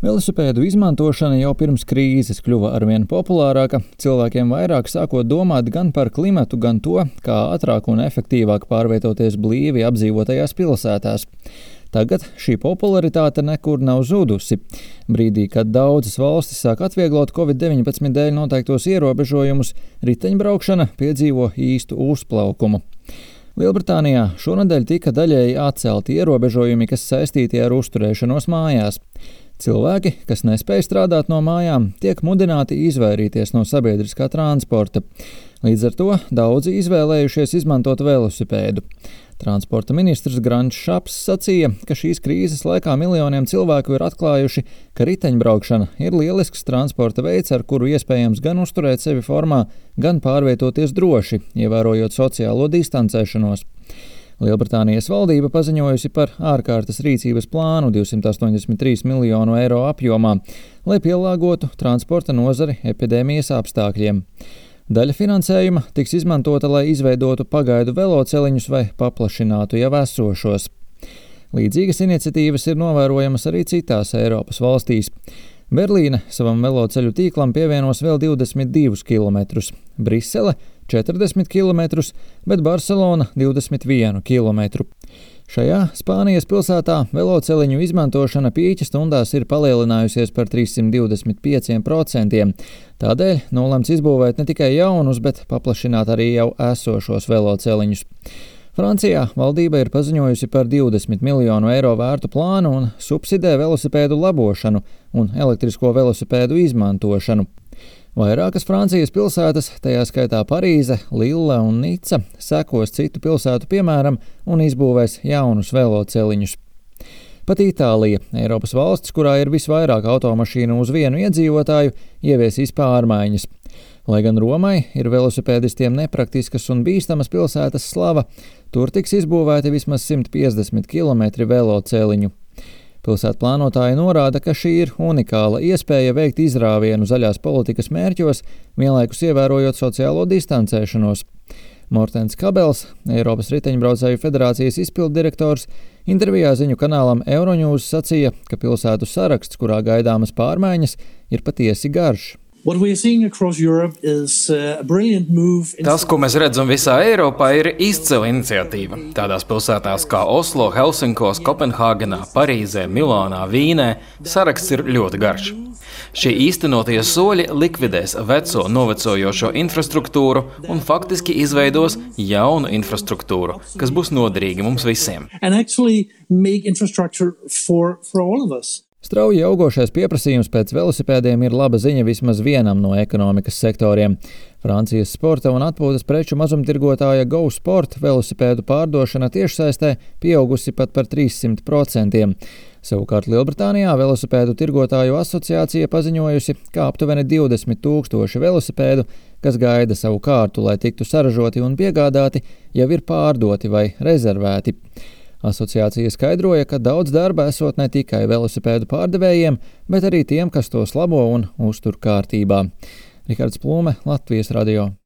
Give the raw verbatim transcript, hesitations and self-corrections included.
Velosipēdu izmantošana jau pirms krīzes kļuva arvien populārāka, cilvēkiem vairāk sākot domāt gan par klimatu, gan to, kā ātrāk un efektīvāk pārvietoties blīvi apdzīvotajās pilsētās. Tagad šī popularitāte nekur nav zudusi. Brīdī, kad daudzas valstis sāk atvieglot covid deviņpadsmit dēļ noteiktos ierobežojumus, riteņbraukšana piedzīvo īstu uzplaukumu. Lielbritānijā šonedēļ tika daļēji atcelti ierobežojumi, kas saistīti ar uzturēšanos mājās. Cilvēki, kas nespēj strādāt no mājām, tiek mudināti izvairīties no sabiedriskā transporta. Līdz ar to daudzi izvēlējušies izmantot velosipēdu. Transporta ministrs Grants Šaps sacīja, ka šīs krīzes laikā miljoniem cilvēku ir atklājuši, ka riteņbraukšana ir lielisks transporta veids, ar kuru iespējams gan uzturēt sevi formā, gan pārvietoties droši, ievērojot sociālo distancēšanos. Lielbritānijas valdība paziņojusi par ārkārtas rīcības plānu divsimt astoņdesmit trīs miljonu eiro apjomā, lai pielāgotu transporta nozari epidēmijas apstākļiem. Daļa finansējuma tiks izmantota, lai izveidotu pagaidu veloceliņus vai paplašinātu jau esošos. Līdzīgas iniciatīvas ir novērojamas arī citās Eiropas valstīs. Berlīne savam veloceļu tīklam pievienos vēl divdesmit divus kilometrus, Brisele četrdesmit kilometrus, bet Barcelona divdesmit vienu kilometru. Šajā Spānijas pilsētā veloceliņu izmantošana pīķa stundās ir palielinājusies par trīssimt divdesmit pieciem procentiem. Tādēļ nolemts izbūvēt ne tikai jaunus, bet paplašināt arī jau esošos veloceliņus. Francijā valdība ir paziņojusi par divdesmit miljonu eiro vērtu plānu un subsidē velosipēdu labošanu un elektrisko velosipēdu izmantošanu. Vairākas Francijas pilsētas, tajā skaitā Parīze, Lille un Nica, sekos citu pilsētu piemēram un izbūvēs jaunus veloceliņus. Pat Itālija, Eiropas valsts, kurā ir visvairāk automašīnu uz vienu iedzīvotāju, ieviesīs pārmaiņas. Lai gan Romai ir velosipēdistiem nepraktiskas un bīstamas pilsētas slava, tur tiks izbūvēti vismaz simt piecdesmit kilometri veloceliņu. Pilsētu plānotāji norāda, ka šī ir unikāla iespēja veikt izrāvienu zaļās politikas mērķos, vienlaikus ievērojot sociālo distancēšanos. Mortens Kabels, Eiropas riteņbraucēju federācijas izpilddirektors, intervijā ziņu kanālam Euronews sacīja, ka pilsētu saraksts, kurā gaidāmas pārmaiņas, ir patiesi garš. Tas, ko mēs redzam visā Eiropā, ir izcila iniciatīva. Tādās pilsētās kā Oslo, Helsinkos, Kopenhāgenā, Parīzē, Milānā, Vīnē saraksts ir ļoti garš. Šie īstenotie soļi likvidēs veco novecojošo infrastruktūru un faktiski izveidos jaunu infrastruktūru, kas būs noderīga mums visiem. Strauji augošais pieprasījums pēc velosipēdiem ir laba ziņa vismaz vienam no ekonomikas sektoriem. Francijas sporta un atpūtas preču mazumtirgotāja Go Sport velosipēdu pārdošana tiešsaistē pieaugusi pat par trīssimt procentiem. Savukārt Lielbritānijā velosipēdu tirgotāju asociācija paziņojusi, ka aptuveni divdesmit tūkstoši velosipēdu, kas gaida savu kārtu, lai tiktu saražoti un piegādāti, jau ir pārdoti vai rezervēti. Asociācija skaidroja, ka daudz darba esot ne tikai velosipēdu pārdevējiem, bet arī tiem, kas tos labo un uztur kārtībā. Rihards Plūme, Latvijas radio.